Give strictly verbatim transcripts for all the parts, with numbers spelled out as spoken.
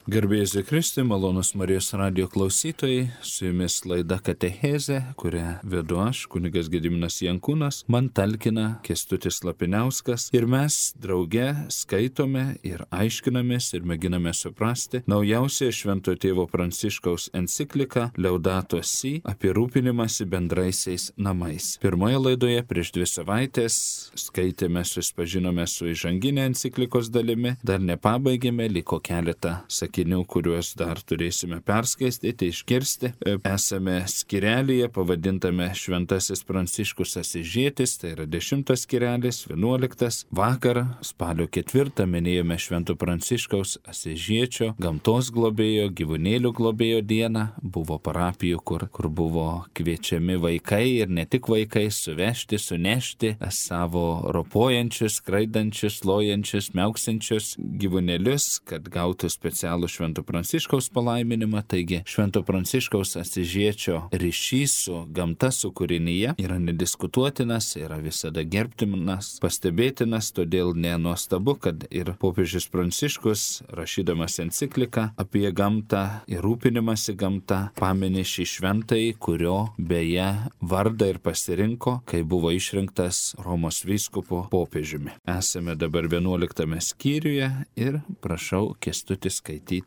Garbėsiu Kristui, malonus Marijos radijo klausytojai, su jumis laida Katechezė, kurią vedu aš, kunigas Gediminas Jankūnas, man talkina Kęstutis Lapiniauskas ir mes drauge skaitome ir aiškinamės ir mėginame suprasti naujausią Šventojo tėvo Pranciškaus encikliką Laudato Si apie rūpinimąsi bendraisiais namais. Pirmoje laidoje prieš dvi savaitės skaitėme, susipažinome su įžanginė enciklikos dalimi, dar nepabaigėme, liko keletą sakinių, kuriuos dar turėsime perskaistyti, išgirsti. Esame skirelyje pavadintame Šventasis Pranciškus Asižietis, tai yra dešimtas skirelis, vienuoliktas. Vakar, spalio ketvirtą, minėjome Švento Pranciškaus Asižiečio, gamtos globėjo, gyvūnėlių globėjo dieną. Buvo parapijų, kur, kur buvo kviečiami vaikai ir ne tik vaikai suvežti, sunešti savo ropojančius, skraidančius, lojančius, miauksinčius gyvūnėlius, kad gautų specialų Švento Pranciškaus palaiminimą. Taigi Švento Pranciškaus Asižiečio ryšys su gamta, su kūrinyje yra nediskutuotinas, yra visada gerbtinas, pastebėtinas, todėl nenuostabu, kad ir popiežius Pranciškus, rašydamas encikliką apie gamtą ir rūpinimąsi gamta, pamini šį šventąjį, kurio beje vardą ir pasirinko, kai buvo išrinktas Romos vyskupu popiežiumi. Esame dabar vienuoliktame skyriuje ir prašau Kęstutį skaityti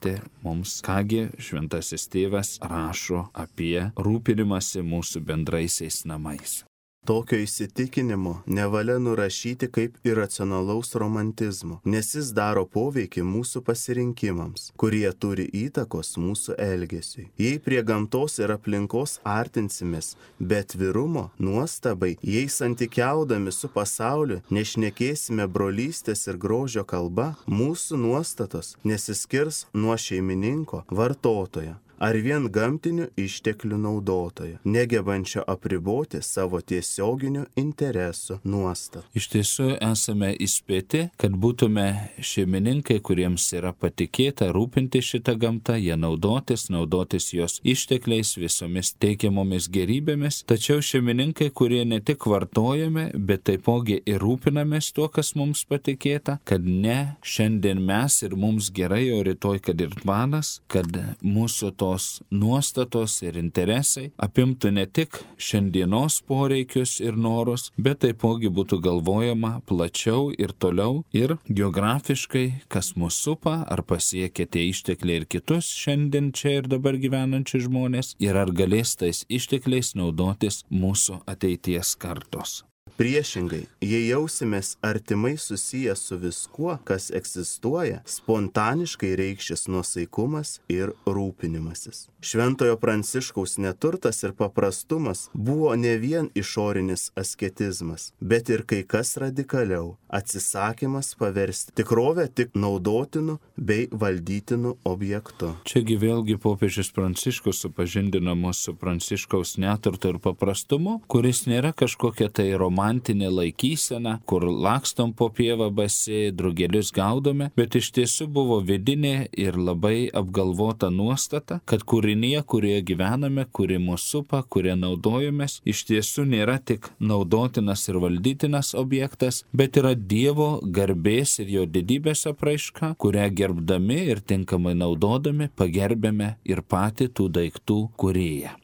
mums, kągi šventasis tėvas rašo apie rūpinimąsi mūsų bendraisiais namais. Tokio įsitikinimo nevalia nurašyti kaip iracionalaus romantizmo, nes jis daro poveikį mūsų pasirinkimams, kurie turi įtakos mūsų elgesiui. Jei prie gamtos ir aplinkos artinsimės, bet atvirumo, nuostabai, jei santykiaudami su pasauliu nešnekėsime brolystės ir grožio kalba, mūsų nuostatos nesiskirs nuo šeimininko, vartotojo ar vien gamtinių išteklių naudotojo, negebančio apriboti savo tiesioginių interesų nuostatų. Iš tiesų esame įspėti, kad būtume šeimininkai, kuriems yra patikėta rūpinti šitą gamtą, ją naudotis, naudotis jos ištekliais, visomis teikiamomis gerybėmis, tačiau šeimininkai, kurie ne tik vartojame, bet taipogi ir rūpinamės tuo, kas mums patikėta, kad ne šiandien mes ir mums gerai, o rytoj kad ir tvanas, kad mūsų to tos nuostatos ir interesai apimtų ne tik šiandienos poreikius ir norus, bet taipogi būtų galvojama plačiau ir toliau ir geografiškai, kas mus supa, ar pasiekia tie ištekliai ir kitus šiandien čia ir dabar gyvenančius žmonės, ir ar galės tais ištekliais naudotis mūsų ateities kartos. Priešingai, jei jausimės artimai susiję su viskuo, kas egzistuoja, spontaniškai reikšis nuosaikumas ir rūpinimasis. Šventojo Pranciškaus neturtas ir paprastumas buvo ne vien išorinis asketizmas, bet ir kai kas radikaliau - atsisakymas paversti tikrovę tik naudotinu bei valdytinu objektu. Čiagi vėlgi popiežius Pranciškus supažindino mus su Pranciškaus neturtu ir paprastumu, kuris nėra kažkokia tai romantinė laikysena, kur lakstom po pievą basi, drugelius gaudome, bet iš tiesų buvo vidinė ir labai apgalvota nuostata, kad kūrinyje, kurioje gyvename, kuri mūsų supa, kurie naudojamės, iš tiesų nėra tik naudotinas ir valdytinas objektas, bet yra Dievo garbės ir jo didybės apraiška, kurią gerbdami ir tinkamai naudodami pagerbėme ir patį tų daiktų kūrėją.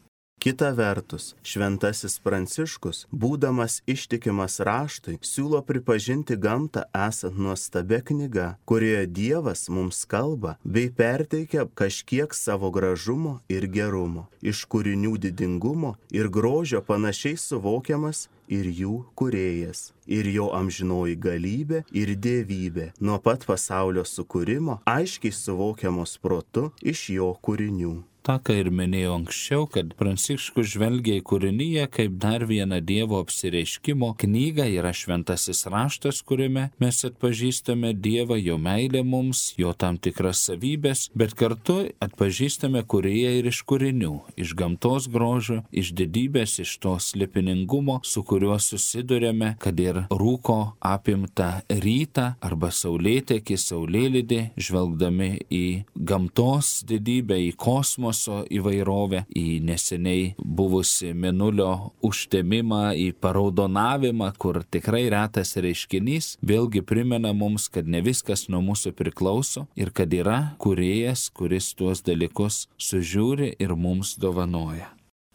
Kita vertus, šventasis Pranciškus, būdamas ištikimas raštui, siūlo pripažinti gamtą esant nuostabia knyga, kurioje Dievas mums kalba bei perteikia kažkiek savo gražumo ir gerumo, iš kūrinių didingumo ir grožio panašiai suvokiamas ir jų kūrėjas, ir jo amžinoji galybė ir dievybė, nuo pat pasaulio sukūrimo, aiškiai suvokiamos protu iš jo kūrinių. tą, ką ir minėjau anksčiau, kad Pranciškus žvelgia į kūrinyje kaip dar vieną Dievo apsireiškimo knygą, yra šventasis raštas, kuriame mes atpažįstame Dievą, jo meilę mums, jo tam tikras savybės, bet kartu atpažįstame kūrėją ir iš kūrinių, iš gamtos grožio, iš didybės, iš to slėpiningumo, su kuriuo susidurėme, kad ir rūko apimtą rytą arba saulėtekį, saulėlydį, žvelgdami į gamtos didybę, į kosmosą, kosmoso įvairovę, į neseniai buvusi mėnulio užtemimą, į paraudonavimą, kur tikrai retas reiškinys, vėlgi primena mums, kad ne viskas nuo mūsų priklauso ir kad yra kūrėjas, kuris tuos dalykus sužiūri ir mums dovanoja.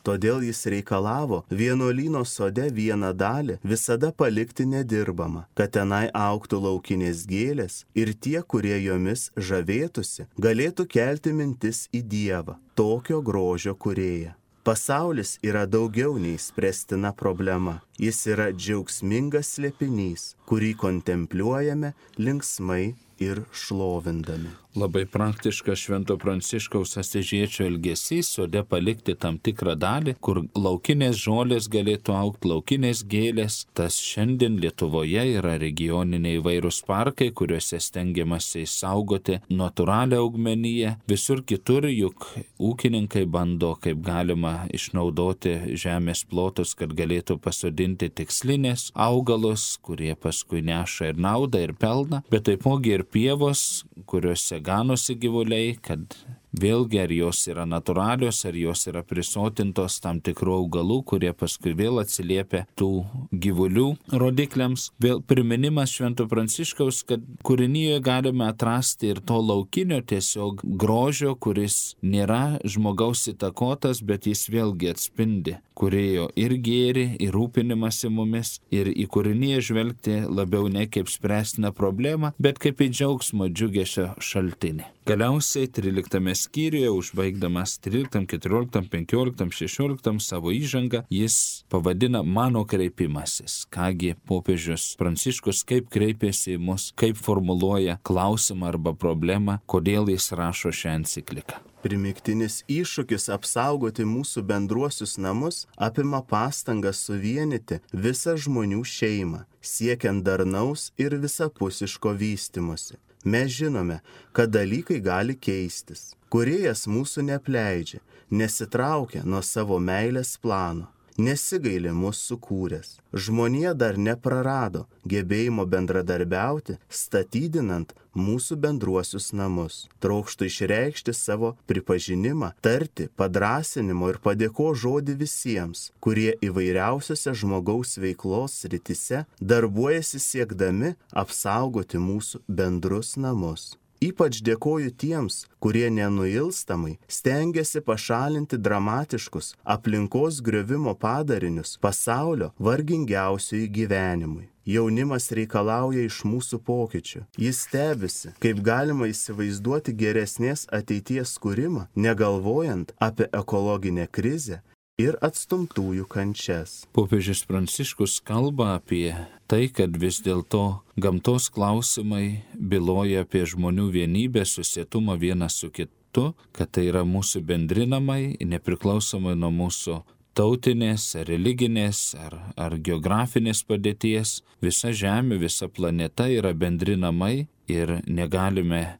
Todėl jis reikalavo vienuolyno sode vieną dalį visada palikti nedirbamą, kad tenai augtų laukinės gėlės ir tie, kurie jomis žavėtųsi, galėtų kelti mintis į Dievą, tokio grožio kūrėją. Pasaulis yra daugiau nei spręstina problema. Jis yra džiaugsmingas slėpinys, kurį kontempliuojame linksmai ir šlovindami. Labai praktiškas Švento Pranciškaus Asyžiečio elgesys sode palikti tam tikrą dalį, kur laukinės žolės galėtų augti, laukinės gėlės. Tas šiandien Lietuvoje yra regioniniai įvairūs parkai, kuriuose stengiamasi išsaugoti natūralią augmeniją. Visur kitur juk ūkininkai bando kaip galima išnaudoti žemės plotus, kad galėtų pasodinti tikslinės augalus, kurie paskui neša ir naudą, ir pelną, bet taipogi ir pievos, kuriuose ganosi gyvuliai, kad vėlgi ar jos yra natūralios, ar jos yra prisotintos tam tikrų augalų, kurie paskui vėl atsiliepia tų gyvulių rodikliams. Vėl priminimas Švento Pranciškaus, kad kūrinyje galime atrasti ir to laukinio tiesiog grožio, kuris nėra žmogaus įtakotas, bet jis vėlgi atspindi kūrėjo ir gėrį, ir rūpinimąsi mumis, ir į kūrinyje žvelgti labiau ne kaip spręstina problema, bet kaip į džiaugsmo džiugesio šaltinį. Galiausiai tryliktame skyriuje, užbaigdamas tryliktam, keturioliktam, penkioliktam, šešioliktam savo įžangą, jis pavadina mano kreipimasis. Kągi popiežius Pranciškus kaip kreipėsi į mus, kaip formuluoja klausimą arba problemą, kodėl jis rašo šią encikliką. Primiktinis iššūkis apsaugoti mūsų bendruosius namus apima pastangas suvienyti visą žmonių šeimą, siekiant darnaus ir visapusiško vystymosi. Mes žinome, kad dalykai gali keistis. Kūrėjas mūsų neapleidžia, nesitraukia nuo savo meilės plano, nesigaili mūsų sukūręs. Žmonija dar neprarado gebėjimo bendradarbiauti, statydinant mūsų bendruosius namus. Trokštų išreikšti savo pripažinimą, tarti padrąsinimo ir padėko žodį visiems, kurie įvairiausiose žmogaus veiklos srityse darbuojasi siekdami apsaugoti mūsų bendrus namus. Ypač dėkoju tiems, kurie nenuilstamai stengiasi pašalinti dramatiškus aplinkos griovimo padarinius pasaulio vargingiausiųjų gyvenimui. Jaunimas reikalauja iš mūsų pokyčių. Jis stebisi, kaip galima įsivaizduoti geresnės ateities kūrimą, negalvojant apie ekologinę krizę ir atstumtųjų kančias. Popiežius Pranciškus kalba apie tai, kad vis dėlto gamtos klausimai byloja apie žmonių vienybę, susietumą vienas su kitu, kad tai yra mūsų bendri namai, nepriklausomai nuo mūsų tautinės, ar religinės, ar, ar geografinės padėties. Visa Žemė, visa planeta yra bendri namai ir negalime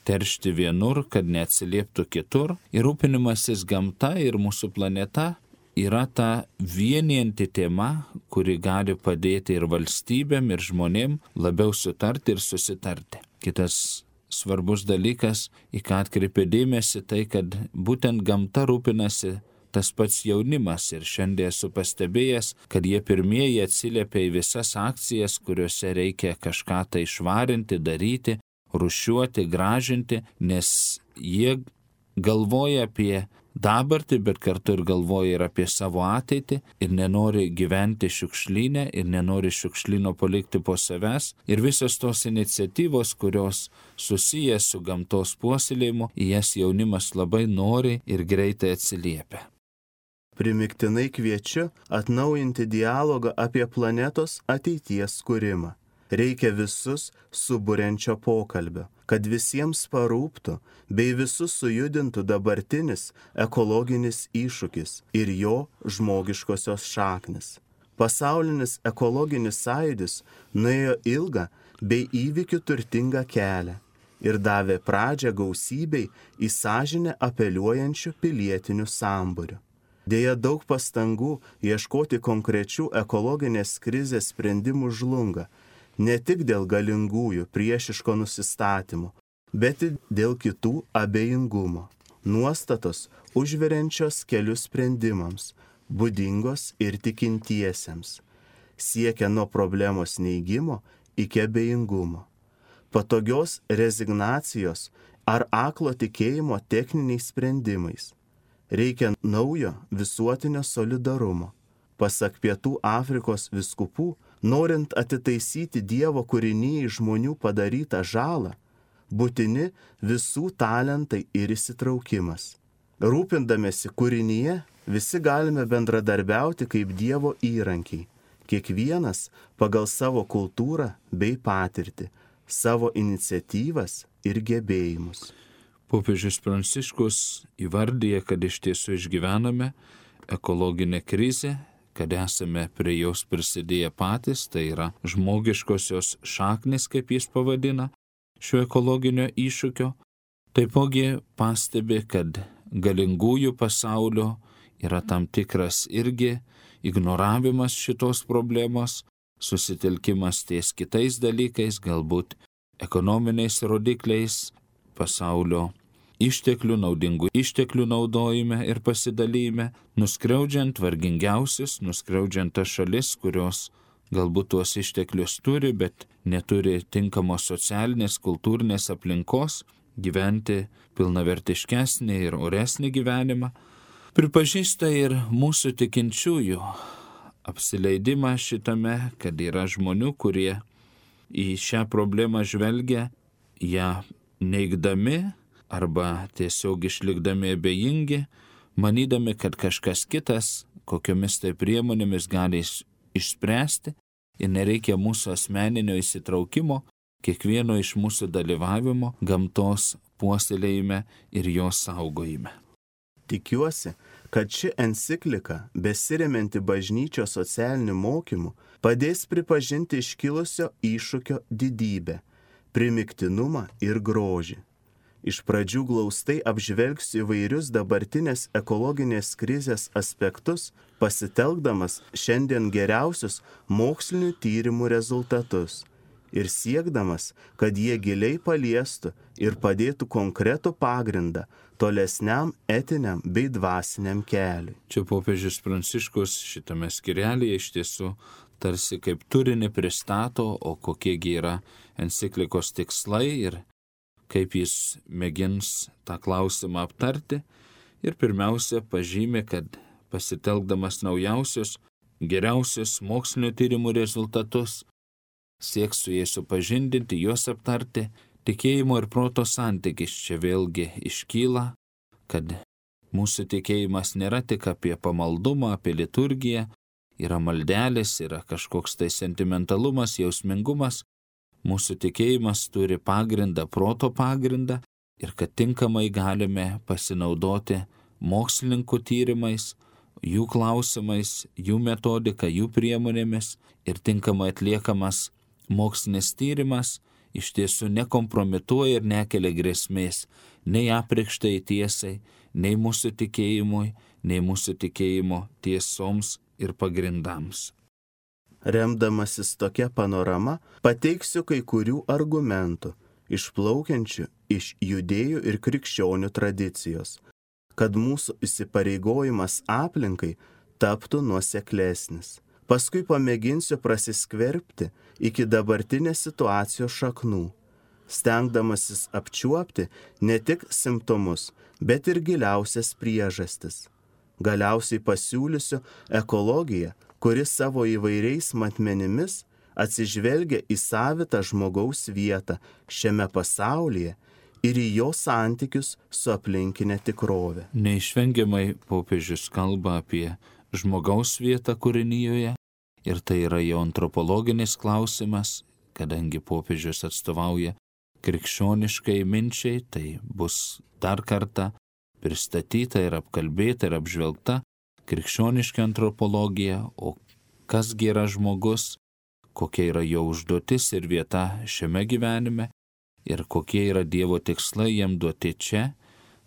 teršti vienur, kad neatsilieptų kitur. Ir rūpinimasis gamta ir mūsų planeta yra ta vienijanti tema, kuri gali padėti ir valstybėm, ir žmonėm labiau sutarti ir susitarti. Kitas svarbus dalykas, į ką atkreipė dėmesį, tai kad būtent gamta rūpinasi tas pats jaunimas. Ir šiandien esu pastebėjęs, kad jie pirmieji atsiliepia į visas akcijas, kuriuose reikia kažką tai išvarinti, daryti, rūšiuoti, gražinti, nes jie galvoja apie dabartį, bet kartu ir galvoja ir apie savo ateitį ir nenori gyventi šiukšlyne ir nenori šiukšlyno palikti po savęs. Ir visos tos iniciatyvos, kurios susijęs su gamtos puoselėjimu, į jas jaunimas labai nori ir greitai atsiliepia. Primiktinai kviečiu atnaujinti dialogą apie planetos ateities kūrimą. Reikia visus suburiančio pokalbio, kad visiems parūptų bei visus sujudintų dabartinis ekologinis iššūkis ir jo žmogiškosios šaknis. Pasaulinis ekologinis sąjūdis nuėjo ilgą bei įvykių turtingą kelią ir davė pradžią gausybei į sąžinę apeliuojančių pilietinių sambūrių. Deja, daug pastangų ieškoti konkrečių ekologinės krizės sprendimų žlunga, ne tik dėl galingųjų priešiško nusistatymų, bet ir dėl kitų abejingumo. nuostatos užveriančios kelius sprendimams, būdingos ir tikintiesiems, siekia nuo problemos neigimo iki abejingumo, patogios rezignacijos ar aklo tikėjimo techniniais sprendimais. Reikia naujo visuotinio solidarumo. Pasak Pietų Afrikos vyskupų, norint atitaisyti Dievo kūrinyjai žmonių padarytą žalą, būtini visų talentai ir įsitraukimas. Rūpindamėsi kūrinyje, visi galime bendradarbiauti kaip Dievo įrankiai, kiekvienas pagal savo kultūrą bei patirtį, savo iniciatyvas ir gebėjimus. Popiežius Pranciškus įvardyja, kad iš tiesų išgyvename ekologinę krizę, kad esame prie jos prisidėję patys, tai yra žmogiškosios šaknis, kaip jis pavadina, šio ekologinio iššūkio. Taipogi pastebi, kad galingųjų pasaulio yra tam tikras irgi ignoravimas šitos problemos, susitelkimas ties kitais dalykais, galbūt ekonominiais rodikliais, pasaulio išteklių, naudingų išteklių naudojime ir pasidalyme, nuskriaudžiant vargingiausius, nuskriaudžiant tas šalis, kurios galbūt tuos išteklius turi, bet neturi tinkamos socialinės, kultūrinės aplinkos, gyventi pilnavertiškesnį ir oresnį gyvenimą. Pripažįsta ir mūsų tikinčiųjų apsileidimą šitame, kad yra žmonių, kurie į šią problemą žvelgia, ją neigdami arba tiesiog išlikdami abejingi, manydami, kad kažkas kitas, kokiomis tai priemonėmis gali išspręsti ir nereikia mūsų asmeninio įsitraukimo, kiekvieno iš mūsų dalyvavimo gamtos puoselėjime ir jos saugojime. Tikiuosi, kad ši enciklika, besiremianti bažnyčios socialiniu mokymu, padės pripažinti iškilusio iššūkio didybę, primygtinumą ir grožį. Iš pradžių glaustai apžvelgsiu įvairius dabartinės ekologinės krizės aspektus, pasitelkdamas šiandien geriausius mokslinių tyrimų rezultatus ir siekdamas, kad jie giliai paliestų ir padėtų konkretų pagrindą tolesniam etiniam bei dvasiniam keliui. Čia popiežius Pranciškus šitame skyrelyje iš tiesų tarsi kaip turinį pristato, o kokiegi yra enciklikos tikslai ir kaip jis mėgins tą klausimą aptarti. Ir pirmiausia pažymė, kad pasitelkdamas naujausius, geriausius mokslinio tyrimų rezultatus, sieks su jais supažindinti, juos aptarti. Tikėjimo ir proto santykis čia vėlgi iškyla, kad mūsų tikėjimas nėra tik apie pamaldumą, apie liturgiją, yra maldelės, yra kažkoks tai sentimentalumas, jausmingumas. Mūsų tikėjimas turi pagrindą, proto pagrindą ir kad tinkamai galime pasinaudoti mokslininkų tyrimais, jų klausimais, jų metodika, jų priemonėmis ir tinkamai atliekamas mokslinis tyrimas iš tiesų nekompromituoja ir nekelia grėsmės nei apreikštai tiesai, nei mūsų tikėjimui, nei mūsų tikėjimo tiesoms ir pagrindams. Remdamasis tokia panorama, pateiksiu kai kurių argumentų, išplaukiančių iš judėjų ir krikščionių tradicijos, kad mūsų įsipareigojimas aplinkai taptų nuoseklesnis. Paskui pamėginsiu prasiskverbti iki dabartinės situacijos šaknų, stengdamasis apčiuopti ne tik simptomus, bet ir giliausias priežastis. Galiausiai pasiūlysiu ekologiją, kuris savo įvairiais matmenimis atsižvelgia į savitą žmogaus vietą šiame pasaulyje ir į jo santykius su aplinkinė tikrove. Neišvengiamai popiežius kalba apie žmogaus vietą kūrinyjoje ir tai yra jo antropologinis klausimas, kadangi popiežius atstovauja krikščioniškai minčiai, tai bus dar kartą pristatyta ir apkalbėta ir apžvelgta krikščioniška antropologija, o kasgi yra žmogus, kokia yra jo užduotis ir vieta šiame gyvenime ir kokie yra Dievo tikslai jam duoti čia,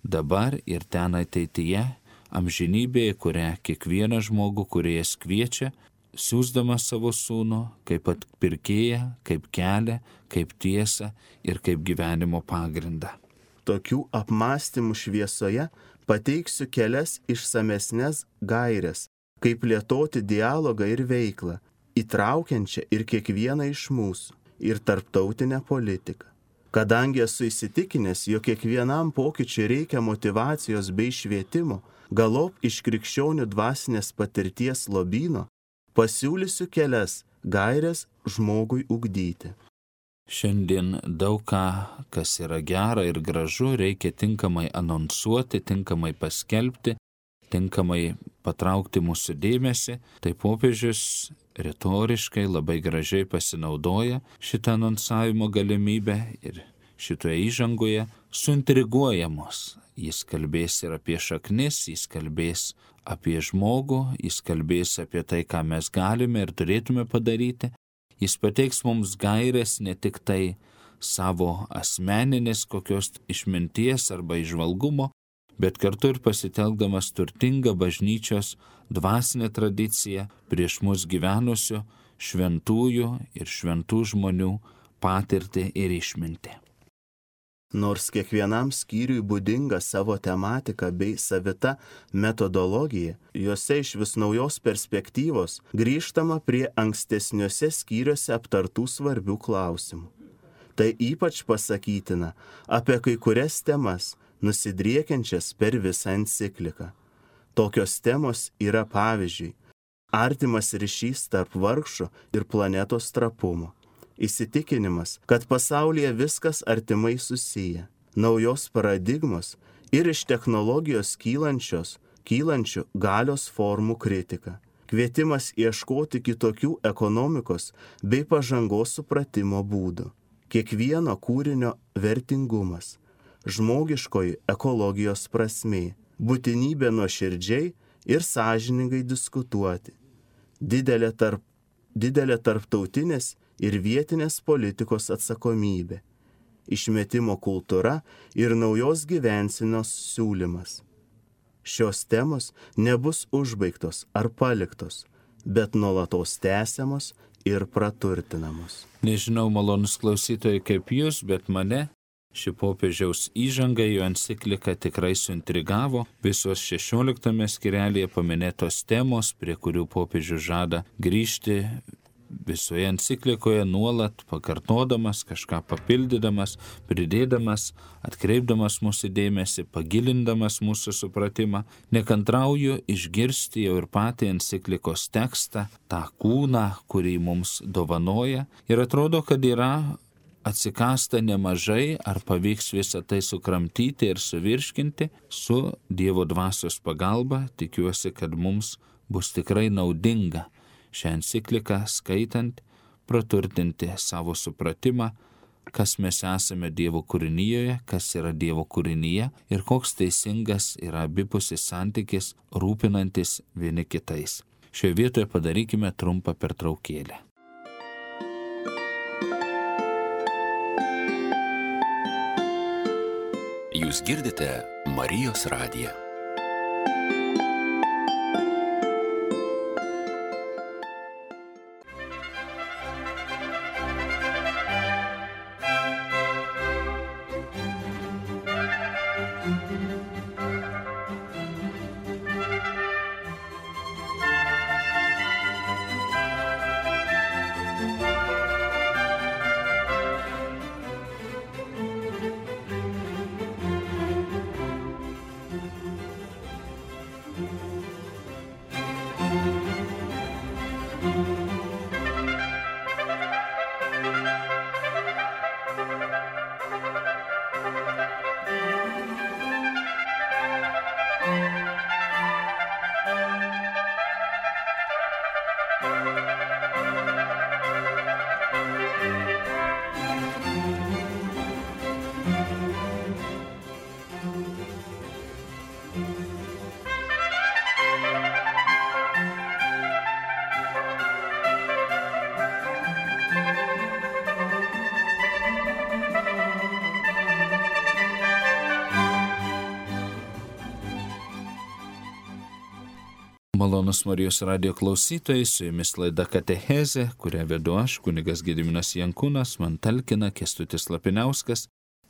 dabar ir ten ateityje, amžinybėje, kurią kiekvieną žmogų kūrėjas kviečia, siųsdamas savo sūnų kaip atpirkėją, kaip kelią, kaip tiesą ir kaip gyvenimo pagrindą. tokių apmąstymų šviesoje pateiksiu kelias išsamesnes gaires, kaip plėtoti dialogą ir veiklą, įtraukiančią ir kiekvieną iš mūsų, ir tarptautinę politiką. Kadangi esu įsitikinęs, jog kiekvienam pokyčiui reikia motyvacijos bei švietimo, galop iš krikščionių dvasinės patirties lobyno pasiūlysiu kelias gaires žmogui ugdyti. Šiandien daug ką, kas yra gera ir gražu, reikia tinkamai anonsuoti, tinkamai paskelbti, tinkamai patraukti mūsų dėmesį. Tai popiežius retoriškai labai gražiai pasinaudoja šitą anonsavimo galimybę ir šitoje įžangoje suintriguoja mus. Jis kalbės ir apie šaknis, jis kalbės apie žmogų, jis kalbės apie tai, ką mes galime ir turėtume padaryti. Jis pateiks mums gaires ne tik tai savo asmeninės kokios išminties arba įžvalgumo, bet kartu ir pasitelkdamas turtingą bažnyčios dvasinę tradiciją prieš mus gyvenusių šventųjų ir šventų žmonių patirtį ir išmintį. Nors kiekvienam skyriui būdinga savo tematika bei savita metodologija, juose iš vis naujos perspektyvos grįžtama prie ankstesniuose skyriuose aptartų svarbių klausimų. Tai ypač pasakytina apie kai kurias temas, nusidriekiančias per visą encikliką. Tokios temos yra pavyzdžiui artimas ryšys tarp vargšų ir planetos trapumo. Įsitikinimas, kad pasaulyje viskas artimai susiję, naujos paradigmos ir iš technologijos kylančios, kylančių galios formų kritika, kvietimas ieškoti kitokių ekonomikos bei pažangos supratimo būdų, kiekvieno kūrinio vertingumas, žmogiškoji ekologijos prasmė, būtinybė nuoširdžiai ir sąžiningai diskutuoti, didelė, tarp, didelė tarptautinės ir vietinės politikos atsakomybė, išmetimo kultūra ir naujos gyvensenos siūlymas. Šios temos nebus užbaigtos ar paliktos, bet nuolatos tęsiamos ir praturtinamos. Nežinau, malonus klausytojai, kaip jūs, bet mane ši popiežiaus įžanga jo enciklika tikrai suintrigavo. Visos šešioliktame skyrelyje paminėtos temos, prie kurių popiežius žada grįžti visoje enciklikoje nuolat pakartodamas, kažką papildydamas, pridėdamas, atkreipdamas mūsų dėmesį, pagilindamas mūsų supratimą. Nekantrauju išgirsti jau ir patį enciklikos tekstą, tą kūną, kurį mums dovanoja. Ir atrodo, kad yra atsikasta nemažai, ar pavyks visą tai sukramtyti ir suvirškinti. Su Dievo dvasios pagalba tikiuosi, kad mums bus tikrai naudinga šią encikliką skaitant, praturtinti savo supratimą, kas mes esame Dievo kūrinyje, kas yra Dievo kūrinyje ir koks teisingas yra abipusis santykis, rūpinantis vieni kitais. Šioje vietoje padarykime trumpą pertraukėlę. Jūs girdite Marijos radiją. Malonus Marijos radijo klausytojai, su jumis laida Katechezė, kurią vedu aš, kunigas Gediminas Jankūnas, man talkina Kęstutis Lapiniauskas.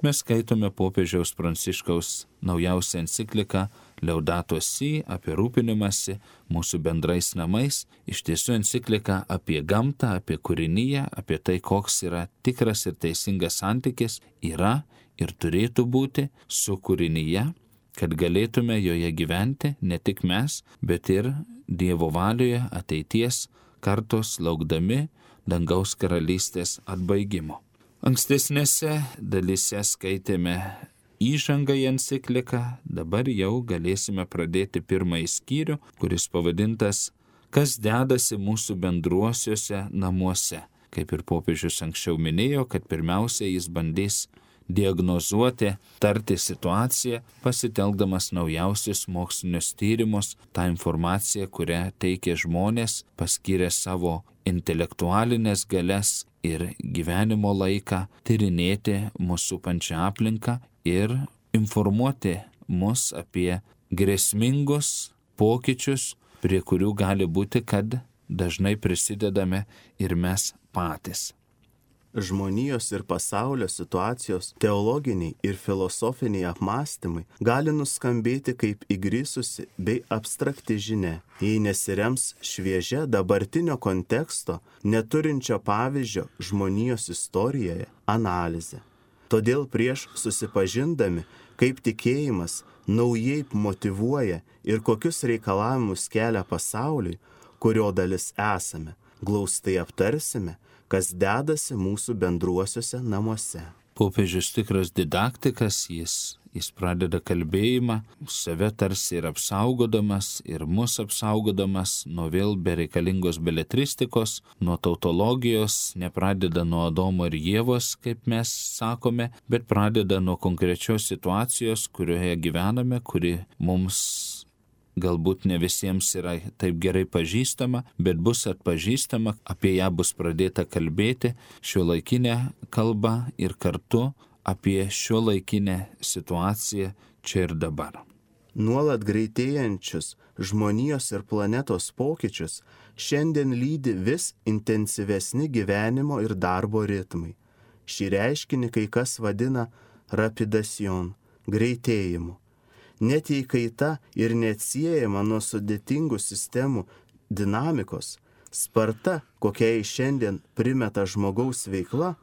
mes skaitome popiežiaus Pranciškaus naujausią encikliką Laudato Si apie rūpinimąsi mūsų bendrais namais. Iš tiesų enciklika apie gamtą, apie kūriniją, apie tai, koks yra tikras ir teisingas santykis yra ir turėtų būti su kūrinyje, kad galėtume joje gyventi ne tik mes, bet ir Dievo valioje ateities kartos laukdami dangaus karalystės atbaigimo. Ankstesnėse dalyse skaitėme įžangą į encikliką, dabar jau galėsime pradėti pirmąjį skyrių, kuris pavadintas Kas dedasi mūsų bendruosiuose namuose. Kaip ir popiežius anksčiau minėjo, kad pirmiausia jis bandys diagnozuoti, tarti situaciją, pasitelkdamas naujausius mokslinius tyrimus, tą informaciją, kurią teikia žmonės, paskyrę savo intelektualinės galias ir gyvenimo laiką, tyrinėti mūsų supančią aplinką ir informuoti mus apie grėsmingus pokyčius, prie kurių gali būti, kad dažnai prisidedame ir mes patys. Žmonijos ir pasaulio situacijos teologiniai ir filosofiniai apmąstymai gali nuskambėti kaip įgrisusi bei abstrakti žinia, jei nesirems šviežia dabartinio konteksto, neturinčio pavyzdžio žmonijos istorijoje, analizė. Todėl prieš susipažindami, kaip tikėjimas naujai motyvuoja ir kokius reikalavimus kelia pasauliui, kurio dalis esame, glaustai aptarsime, kas dedasi mūsų bendruosiuose namuose. Popiežius tikras didaktikas, jis, jis pradeda kalbėjimą, save tarsi ir apsaugodamas, ir mus apsaugodamas nuo vėl bereikalingos beletristikos, nuo tautologijos, nepradeda nuo Adomo ir Ievos, kaip mes sakome, bet pradeda nuo konkrečios situacijos, kurioje gyvename, kuri mums galbūt ne visiems yra taip gerai pažįstama, bet bus atpažįstama, apie ją bus pradėta kalbėti šiuolaikinę kalbą ir kartu apie šiuolaikinę situaciją čia ir dabar. Nuolat greitėjančius žmonijos ir planetos pokyčius šiandien lydi vis intensyvesni gyvenimo ir darbo ritmai. Šį reiškinį kai kas vadina rapidacion, greitėjimu. Net jei kaita ir neatsiejama nuo sudėtingų sistemų dinamikos, sparta, kokiai šiandien primeta žmogaus veikla,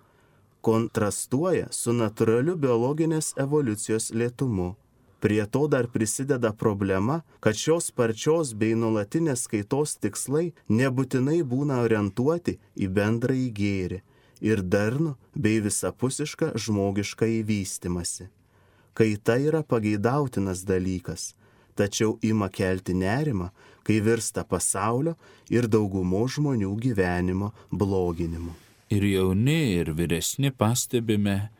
kontrastuoja su natūraliu biologinės evoliucijos lėtumu. Prie to dar prisideda problema, kad šios sparčios bei nuolatinės kaitos tikslai nebūtinai būna orientuoti į bendrąjį gėrį ir darnų bei visapusišką žmogišką įvystymąsi. Kaita yra pageidautinas dalykas, tačiau ima kelti nerimą, kai virsta pasaulio ir daugumo žmonių gyvenimo bloginimu. Ir jauni, ir vyresni pastebime,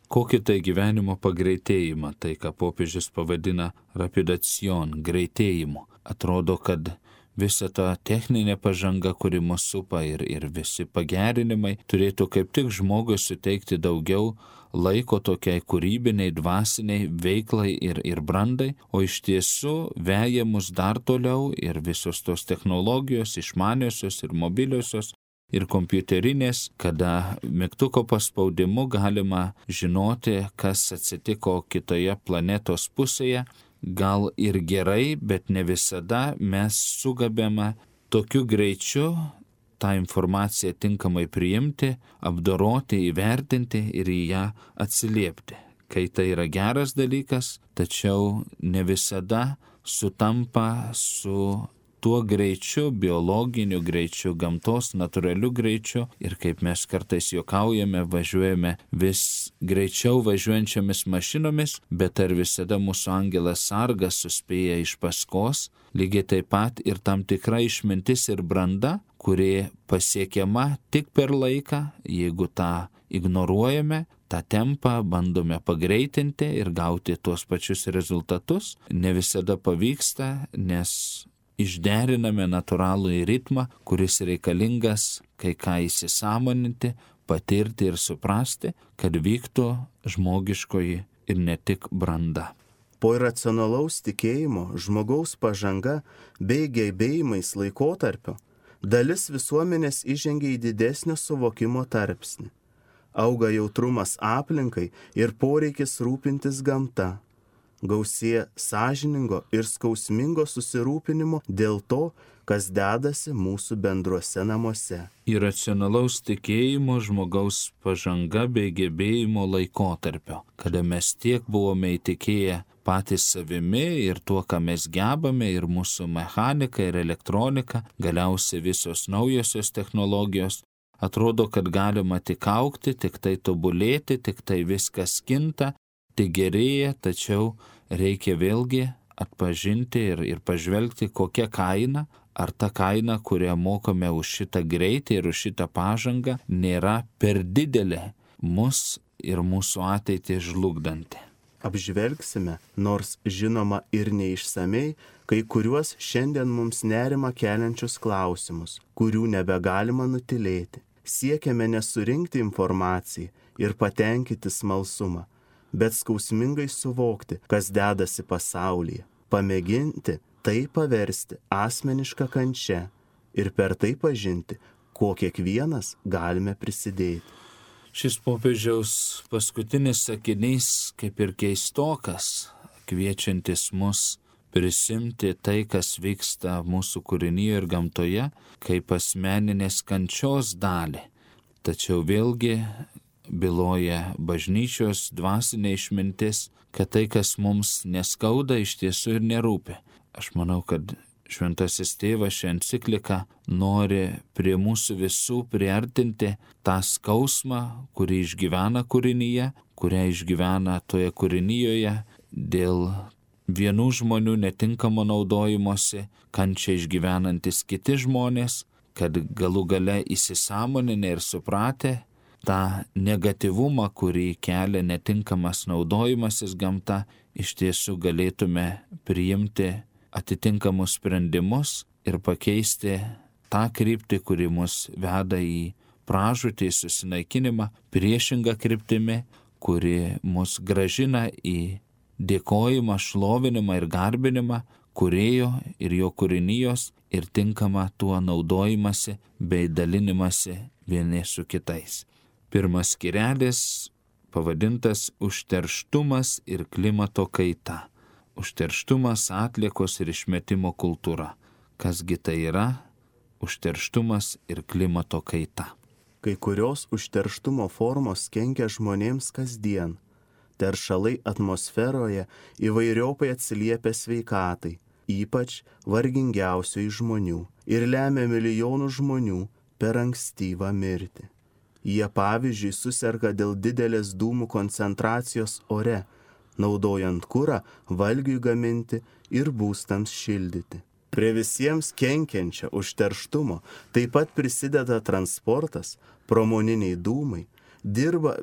kokį tai gyvenimo pagreitėjimą, tai ką popiežius pavadina rapidacion, greitėjimu. Atrodo, kad visa ta techninė pažanga, kuri mus supa ir, ir visi pagerinimai, turėtų kaip tik žmogui suteikti daugiau laiko tokiai kūrybiniai, dvasiniai veiklai ir, ir brandai, o iš tiesų veja mus dar toliau ir visos tos technologijos, išmaniosios ir mobiliosios ir kompiuterinės, kada mygtuko paspaudimu galima žinoti, kas atsitiko kitoje planetos pusėje. Gal ir gerai, bet ne visada mes sugebame tokiu greičiu tą informaciją tinkamai priimti, apdoroti, įvertinti ir į ją atsiliepti. Kai tai yra geras dalykas, tačiau ne visada sutampa su tuo greičiu, biologiniu greičiu, gamtos natūraliu greičiu ir kaip mes kartais juokaujame, važiuojame vis greičiau važiuojančiamis mašinomis, bet ar visada mūsų angelas sargas suspėja iš paskos, lygiai taip pat ir tam tikra išmintis ir branda, kuri pasiekiama tik per laiką, jeigu tą ignoruojame, tą tempą bandome pagreitinti ir gauti tuos pačius rezultatus, ne visada pavyksta, nes išderiname natūralų ritmą, kuris reikalingas kai ką įsisąmoninti, patirti ir suprasti, kad vyktų žmogiškoji ir ne tik branda. Po iracionalaus tikėjimo, žmogaus pažanga bei gebėjimais laikotarpio dalis visuomenės įžengia į didesnio suvokimo tarpsnį. auga jautrumas aplinkai ir poreikis rūpintis gamta. Gausėja sąžiningo ir skausmingo susirūpinimo dėl to, kas dedasi mūsų bendruose namuose. Iracionalaus tikėjimo žmogaus pažanga bei gebėjimo laikotarpio, kada mes tiek buvome įtikėję patys savimi ir tuo, ką mes gebame, ir mūsų mechanika, ir elektronika, galiausiai visos naujosios technologijos, atrodo, kad galima tik augti, tik tai tobulėti, tik tai viskas kinta, tik gerėja, tačiau reikia vėlgi atpažinti ir, ir pažvelgti, kokia kaina, ar ta kaina, kurią mokame už šitą greitį ir už šitą pažangą, nėra per didelė mus ir mūsų ateitį žlugdanti. Apžvelgsime, nors žinoma ir neišsamei, kai kuriuos šiandien mums nerima keliančius klausimus, kurių nebegalima nutilėti. Siekiame nesurinkti informaciją ir patenkinti smalsumą, bet skausmingai suvokti, kas dedasi pasaulyje, pamėginti tai paversti asmenišką kančią ir per tai pažinti, ko kiekvienas galime prisidėti. Šis popiežiaus paskutinis sakinys kaip ir keistokas, kviečiantis mus prisimti tai, kas vyksta mūsų kūrinyje ir gamtoje, kaip asmeninės kančios dalį. Tačiau vėlgi byloja bažnyčios dvasinė išmintis, kad tai, kas mums neskauda, iš tiesų ir nerūpi. Aš manau, kad Šventasis Tėvas šią encikliką nori prie mūsų visų priartinti tą skausmą, kurį išgyvena kūrinyje, kurią išgyvena toje kūrinyje dėl vienų žmonių netinkamo naudojimosi, kančią išgyvenantis kiti žmonės, kad galų gale įsisąmoninę ir supratę tą negatyvumą, kurį kelia netinkamas naudojimasis gamta, iš tiesų galėtume priimti atitinkamus sprendimus ir pakeisti tą kryptį, kuri mus veda į pražūtį, susinaikinimą, priešingą kryptimi, kuri mus gražina į dėkojimą, šlovinimą ir garbinimą kūrėjo ir jo kūrinijos ir tinkamą tuo naudojimąsi bei dalinimąsi vieni su kitais. Pirmas skyrelis pavadintas Užterštumas ir klimato kaita. Užterštumas, atliekos ir išmetimo kultūra. Kasgi tai yra? Užterštumas ir klimato kaita. Kai kurios užterštumo formos kenkia žmonėms kasdien. Teršalai atmosferoje įvairiopai atsiliepia sveikatai, ypač vargingiausių iš žmonių, ir lemia milijonų žmonių per ankstyvą mirtį. Jie pavyzdžiui suserga dėl didelės dūmų koncentracijos ore, naudojant kurą valgiui gaminti ir būstams šildyti. Prie visiems kenkiančio užterštumo taip pat prisideda transportas, pramoniniai dūmai, dirba,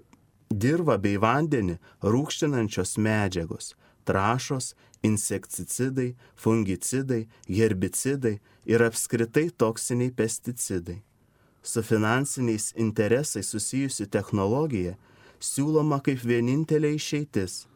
dirva bei vandenį rūgštinančios medžiagos, trąšos, insekticidai, fungicidai, herbicidai ir apskritai toksiniai pesticidai. Su finansiniais interesais susijusi technologija siūloma kaip vienintelė išeitis.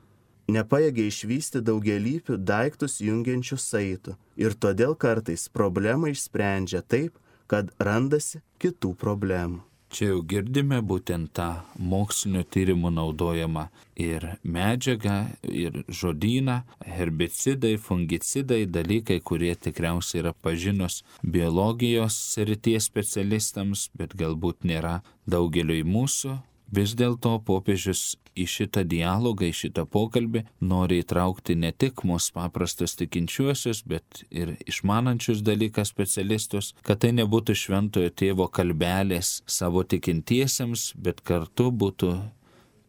Nepajėgia išvysti daugelypių daiktus jungiančių saitų ir todėl kartais problemą išsprendžia taip, kad randasi kitų problemų. Čia jau girdime būtent tą mokslinio tyrimų naudojamą ir medžiagą, ir žodyną, herbicidai, fungicidai, dalykai, kurie tikriausiai yra pažinus biologijos srities specialistams, bet galbūt nėra daugeliui mūsų. Vis dėlto popiežius į šitą dialogą, į šitą pokalbį nori įtraukti ne tik mūsų paprastus tikinčiuosius, bet ir išmanančius dalyką specialistus, kad tai nebūtų šventojo tėvo kalbelės savo tikintiesiems, bet kartu būtų,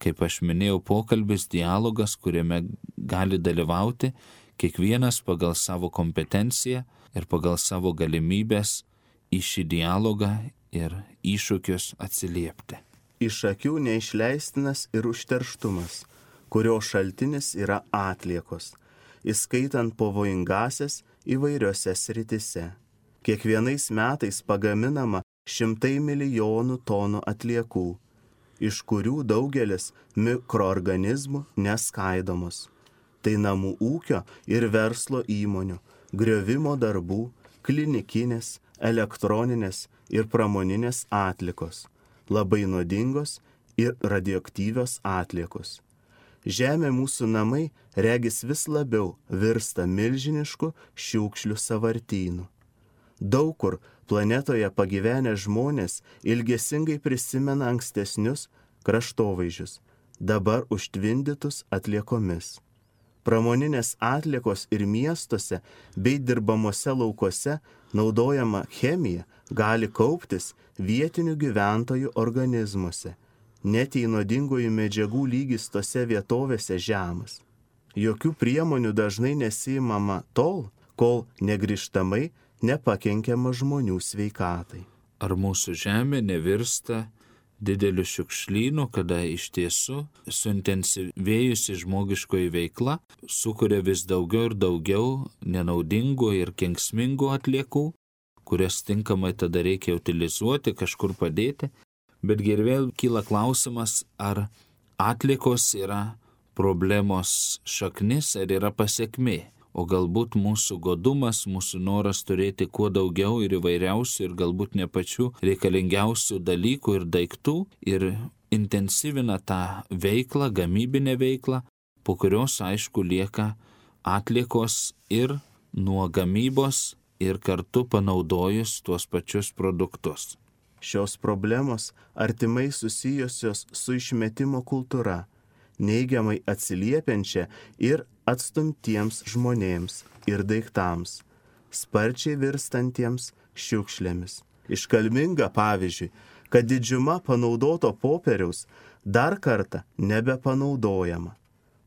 kaip aš minėjau, pokalbis, dialogas, kuriame gali dalyvauti kiekvienas pagal savo kompetenciją ir pagal savo galimybės į šį dialogą ir iššūkius atsiliepti. Iš akių neišleistinas ir užterštumas, kurio šaltinis yra atliekos, įskaitant pavojingasias įvairiose sritise. Kiekvienais metais pagaminama šimtai milijonų tonų atliekų, iš kurių daugelis mikroorganizmų neskaidomos. Tai namų ūkio ir verslo įmonių, griovimo darbų, klinikinės, elektroninės ir pramoninės atliekos. Labai nuodingos ir radioaktyvios atliekos. Žemė mūsų namai regis vis labiau virsta milžinišku šiukšlių sąvartynu. Daug kur planetoje pagyvenę žmonės ilgesingai prisimena ankstesnius kraštovaizdžius, dabar užtvindytus atliekomis. Pramoninės atliekos ir miestuose bei dirbamuose laukuose naudojama chemija gali kauptis vietinių gyventojų organizmuose. Net jei nuodingųjų medžiagų lygis tose vietovėse žemas. Jokių priemonių dažnai nesiimama tol, kol negrįžtamai nepakenkiama žmonių sveikatai. Ar mūsų žemė nevirsta dideliu šiukšlynu, kada iš tiesų suintensyvėjusi žmogiškoji veikla sukuria vis daugiau ir daugiau nenaudingų ir kenksmingų atliekų, kurias tinkamai tada reikia utilizuoti, kažkur padėti. Betgi ir vėl kyla klausimas, ar atliekos yra problemos šaknis, ar yra pasekmė. O galbūt mūsų godumas, mūsų noras turėti kuo daugiau ir įvairiausių ir galbūt ne pačių reikalingiausių dalykų ir daiktų ir intensyvina tą veiklą, gamybinę veiklą, po kurios aišku lieka atliekos ir nuo gamybos ir kartu panaudojus tuos pačius produktus. Šios problemos artimai susijusios su išmetimo kultūra, neigiamai atsiliepiančia ir atstumtiems žmonėms ir daiktams, sparčiai virstantiems šiukšlėmis. Iškalminga pavyzdžiui, kad didžiuma panaudoto popieriaus dar kartą nebepanaudojama.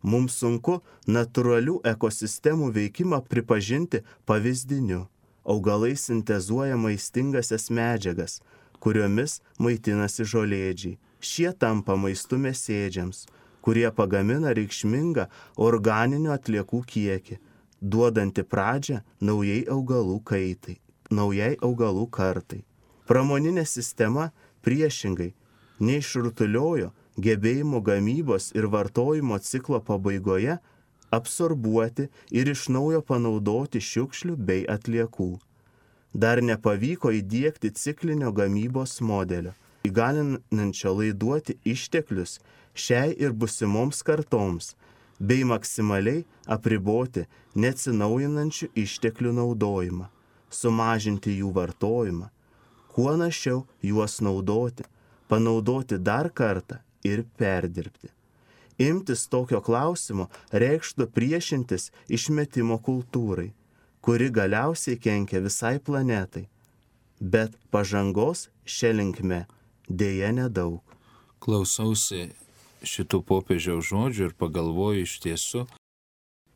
Mums sunku natūralių ekosistemų veikimą pripažinti pavyzdiniu. Augalai sintezuoja maistingasias medžiagas, kuriomis maitinasi žolėdžiai. Šie tampa maistu mėsėdžiams, kurie pagamina reikšmingą organinių atliekų kiekį, duodanti pradžią naujai augalų kaitai, naujai augalų kartai. Pramoninė sistema priešingai neišrutuliojo gebėjimo gamybos ir vartojimo ciklo pabaigoje absorbuoti ir iš naujo panaudoti šiukšlių bei atliekų. Dar nepavyko įdiegti ciklinio gamybos modelio, įgalinančio laiduoti išteklius šiai ir busimoms kartoms, bei maksimaliai apriboti neatsinaujinančių išteklių naudojimą, sumažinti jų vartojimą, kuo našiau juos naudoti, panaudoti dar kartą ir perdirbti. Imtis tokio klausimo reikštų priešintis išmetimo kultūrai, kuri galiausiai kenkia visai planetai, bet pažangos šia linkme dėja nedaug. Klausausi šitų popiežiaus žodžių ir pagalvoju iš tiesų,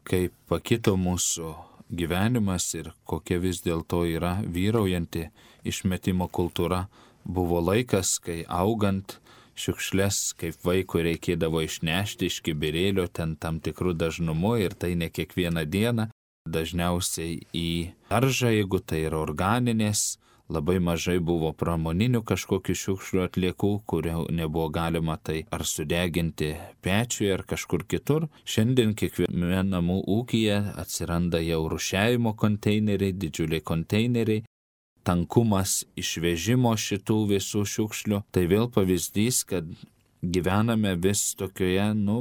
kaip pakito mūsų gyvenimas ir kokia vis dėlto yra vyraujanti išmetimo kultūra. Buvo laikas, kai augant šiukšles, kaip vaikui reikėdavo išnešti iš kibirėlio ten tam tikrų dažnumu ir tai ne kiekvieną dieną. Dažniausiai į daržą, jeigu tai yra organinės, labai mažai buvo pramoninių kažkokių šiukšlių atliekų, kurių nebuvo galima tai ar sudeginti pečiui ar kažkur kitur. Šiandien kiekviename namų ūkyje atsiranda jau rūšiavimo konteineriai, didžiuliai konteineriai, tankumas išvežimo šitų visų šiukšlių. Tai vėl pavyzdys, kad gyvename vis tokioje, nu,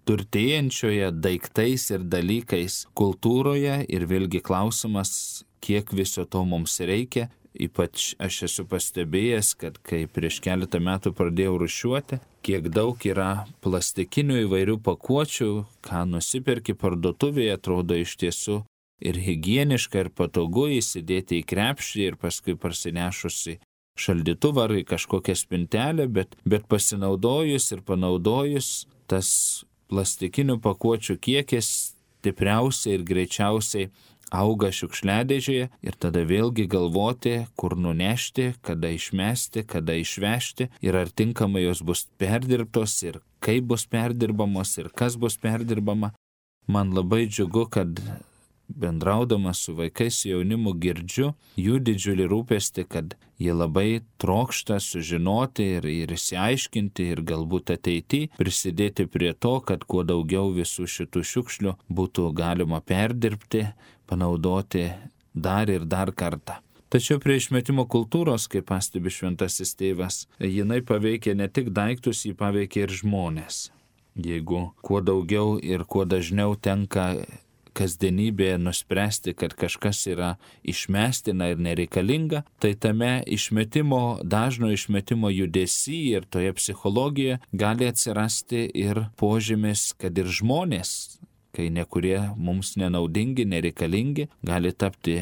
turtėjančioje daiktais ir dalykais kultūroje ir vėlgi klausimas, kiek viso to mums reikia. Ypač aš esu pastebėjęs, kad kai prieš keletą metų pradėjau rūšiuoti, kiek daug yra plastikinių įvairių pakuočių, ką nusiperki parduotuvėje, atrodo iš tiesų ir higieniška ir patogu įsidėti į krepšį ir paskui parsinešusi šaldytuvą ar į kažkokią spintelę, bet, bet pasinaudojus ir panaudojus tas plastikinių pakuočių kiekis stipriausiai ir greičiausiai auga šiukšliadėžėje ir tada vėlgi galvoti, kur nunešti, kada išmesti, kada išvežti ir ar tinkamai jos bus perdirbtos ir kaip bus perdirbamos ir kas bus perdirbama. Man labai džiugu, kad bendraudamas su vaikais jaunimu girdžiu jų didžiulį rūpestį, kad jie labai trokšta sužinoti ir, ir išsiaiškinti ir galbūt ateityje prisidėti prie to, kad kuo daugiau visų šitų šiukšlių būtų galima perdirbti, panaudoti dar ir dar kartą. Tačiau prie išmetimo kultūros, kaip pastebi šventasis tėvas, jinai paveikia ne tik daiktus, jį paveikia ir žmonės. Jeigu kuo daugiau ir kuo dažniau tenka kasdienybėje nuspręsti, kad kažkas yra išmestina ir nereikalinga, tai tame išmetimo, dažno išmetimo judesy ir toje psichologijoje gali atsirasti ir požymis, kad ir žmonės, kai nekurie mums nenaudingi, nereikalingi, gali tapti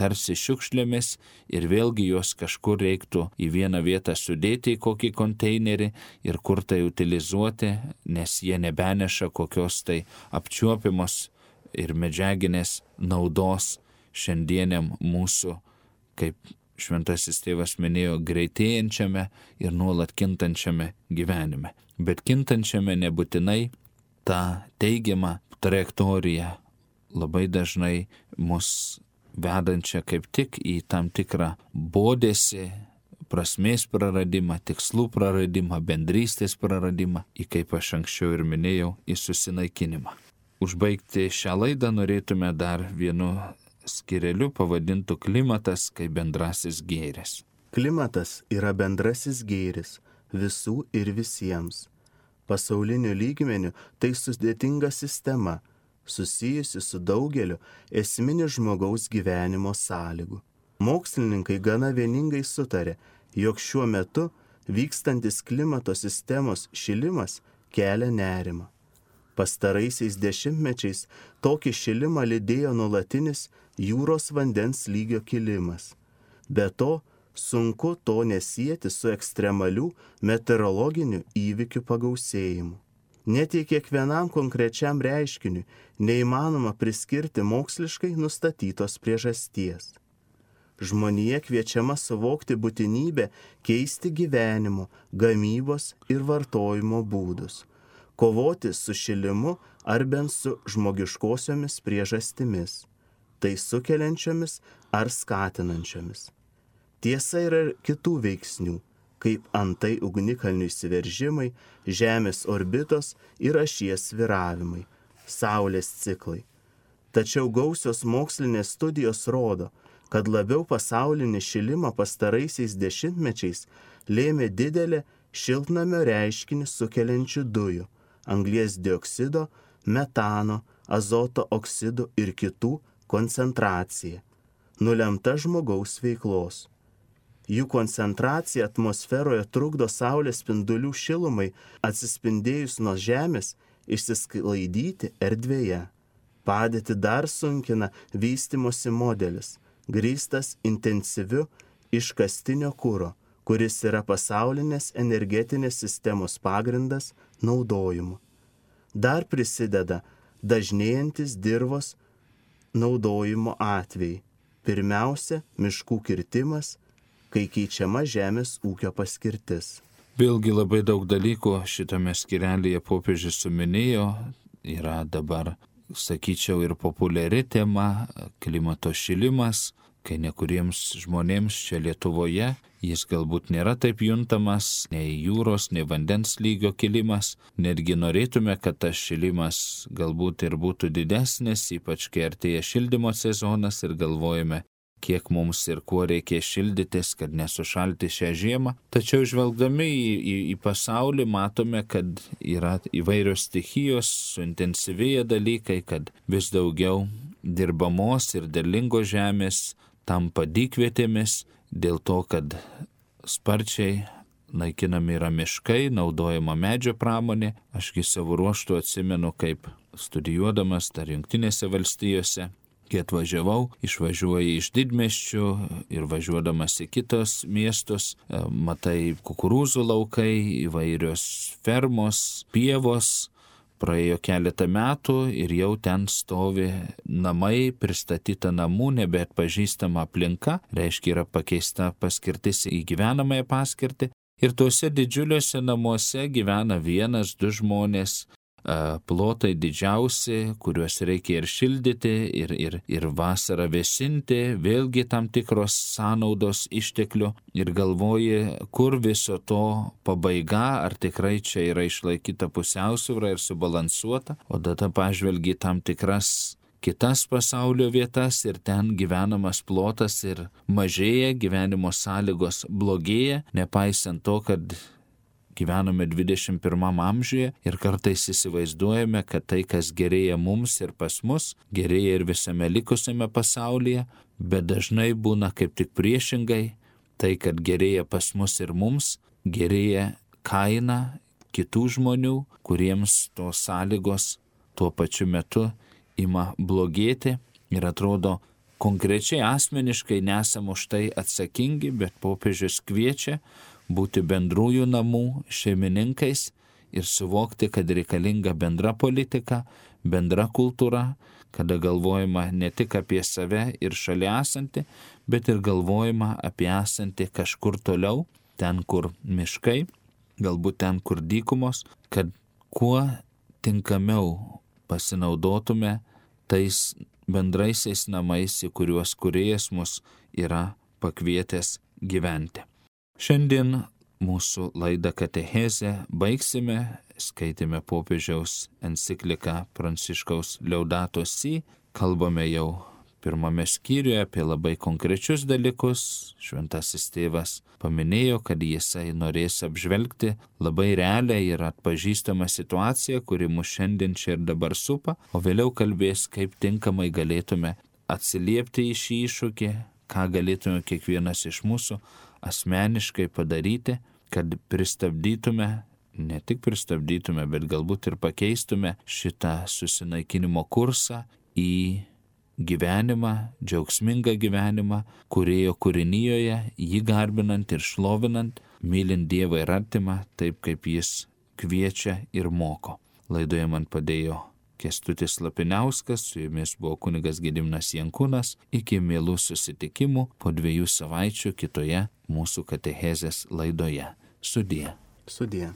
tarsi šiukšlėmis ir vėlgi juos kažkur reiktų į vieną vietą sudėti į kokį konteinerį ir kur tai utilizuoti, nes jie nebeneša kokios tai apčiuopiamos ir medžiaginės naudos šiandieniam mūsų, kaip šventasis tėvas minėjo, greitėjančiame ir nuolat kintančiame gyvenime. Bet kintančiame nebūtinai ta teigiama trajektorija labai dažnai mus vedančią kaip tik į tam tikrą bodėsį, prasmės praradimą, tikslų praradimą, bendrystės praradimą, į, kaip aš anksčiau ir minėjau, į susinaikinimą. Užbaigti šią laidą norėtume dar vienu skireliu pavadintu klimatas kaip bendrasis gėris. Klimatas yra bendrasis gėris visų ir visiems. Pasauliniu lygmeniu tai sudėtinga sistema, susijusi su daugeliu esminių žmogaus gyvenimo sąlygų. Mokslininkai gana vieningai sutarė, jog šiuo metu vykstantis klimato sistemos šilimas kelia nerimą. Pastaraisiais dešimtmečiais tokį šilimą lydėjo nuolatinis jūros vandens lygio kilimas. Be to, sunku to nesieti su ekstremalių meteorologinių įvykių pagausėjimu. Net jei kiekvienam konkrečiam reiškiniui neįmanoma priskirti moksliškai nustatytos priežasties. Žmonija kviečiama suvokti būtinybę keisti gyvenimo, gamybos ir vartojimo būdus, kovoti su šilimu ar bent su žmogiškosiomis priežastimis, tai sukeliančiomis ar skatinančiomis. Tiesa yra ir kitų veiksnių, kaip antai ugnikalnių įsiveržimai, Žemės orbitos ir ašies svyravimai, Saulės ciklai. Tačiau gausios mokslinės studijos rodo, kad labiau pasaulinį šilimą pastaraisiais dešimtmečiais lėmė didelė šiltnamio reiškinį sukeliančių dujų, anglies dioksido, metano, azoto oksidų ir kitų koncentracija, nulemta žmogaus veiklos. Jų koncentracija atmosferoje trukdo saulės spindulių šilumai atsispindėjus nuo Žemės išsisklaidyti erdvėje. Padėtį dar sunkina vystimosi modelis, grįstas intensyviu iškastinio kuro, kuris yra pasaulinės energetinės sistemos pagrindas naudojimu. Dar prisideda dažnėjantis dirvos naudojimo atvejai. Pirmiausia, miškų kirtimas, kai keičiama žemės ūkio paskirtis. Vėlgi labai daug dalykų šitame skirelyje popiežius suminėjo, yra dabar, sakyčiau, ir populiari tema klimato šilimas, kai nekuriems žmonėms čia Lietuvoje jis galbūt nėra taip juntamas, nei jūros, nei vandens lygio kilimas. Netgi norėtume, kad tas šilimas galbūt ir būtų didesnis, ypač kai artėja šildymo sezonas ir galvojame, kiek mums ir kuo reikia šildytis, kad nesušalti šią žiemą. Tačiau žvelgdami į, į, į pasaulį matome, kad yra įvairios stichijos, suintensyvėja dalykai, kad vis daugiau dirbamos ir derlingos žemės tampa dykvietėmis dėl to, kad sparčiai naikinami yra miškai, naudojama medžio pramonė. Ašgi savo ruoštų atsimenu, kaip studijuodamas dar Jungtinėse valstijose, kai atvažiavau, išvažiuoji iš didmiesčių ir važiuodamas į kitos miestus, matai kukurūzų laukai, įvairios fermos, pievos. Praėjo keletą metų ir jau ten stovi namai, pristatyta namų, nebeatpažįstama aplinka, reiškia yra pakeista paskirtis į gyvenamąją paskirtį. Ir tuose didžiuliuose namuose gyvena vienas, du žmonės, plotai didžiausi, kuriuos reikia ir šildyti, ir, ir, ir vasarą vėsinti, vėlgi tam tikros sąnaudos išteklių ir galvoji, kur viso to pabaiga, ar tikrai čia yra išlaikyta pusiausvyra ir subalansuota, o tada pažvelgi tam tikras kitas pasaulio vietas ir ten gyvenamas plotas ir mažėja, gyvenimo sąlygos blogėja, nepaisant to, kad gyvename dvidešimt pirmam amžiuje ir kartais įsivaizduojame, kad tai, kas gerėja mums ir pas mus, gerėja ir visame likusiame pasaulyje, bet dažnai būna kaip tik priešingai, tai, kad gerėja pas mus ir mums, gerėja kaina kitų žmonių, kuriems tos sąlygos tuo pačiu metu ima blogėti ir atrodo konkrečiai asmeniškai nesam už tai atsakingi, bet popiežius kviečia būti bendrųjų namų šeimininkais ir suvokti, kad reikalinga bendra politika, bendra kultūra, kada galvojama ne tik apie save ir šalia esantį, bet ir galvojama apie esantį kažkur toliau, ten, kur miškai, galbūt ten, kur dykumos, kad kuo tinkamiau pasinaudotume tais bendraisiais namais, į kuriuos Kūrėjas mus yra pakvietęs gyventi. Šiandien mūsų laidą Katechezę baigsime, skaitėme popiežiaus encikliką Pranciškaus Laudato Si, kalbame jau pirmame skyriuje apie labai konkrečius dalykus. Šventasis tėvas paminėjo, kad jisai norės apžvelgti labai realią ir atpažįstamą situaciją, kuri mus šiandien čia ir dabar supa, o vėliau kalbės, kaip tinkamai galėtume atsiliepti į šį iššūkį, ką galėtume kiekvienas iš mūsų asmeniškai padaryti, kad pristabdytume, ne tik pristabdytume, bet galbūt ir pakeistume šitą susinaikinimo kursą į gyvenimą, džiaugsmingą gyvenimą, Kūrėjo kūrinyjoje, jį garbinant ir šlovinant, mylint Dievą ir artimą, taip kaip jis kviečia ir moko. Laidoje man padėjo Kęstutis Lapiniauskas, su jumis buvo kunigas Gediminas Jankūnas. Iki mielų susitikimų po dviejų savaičių kitoje mūsų katechezės laidoje. Sudie. Sudie.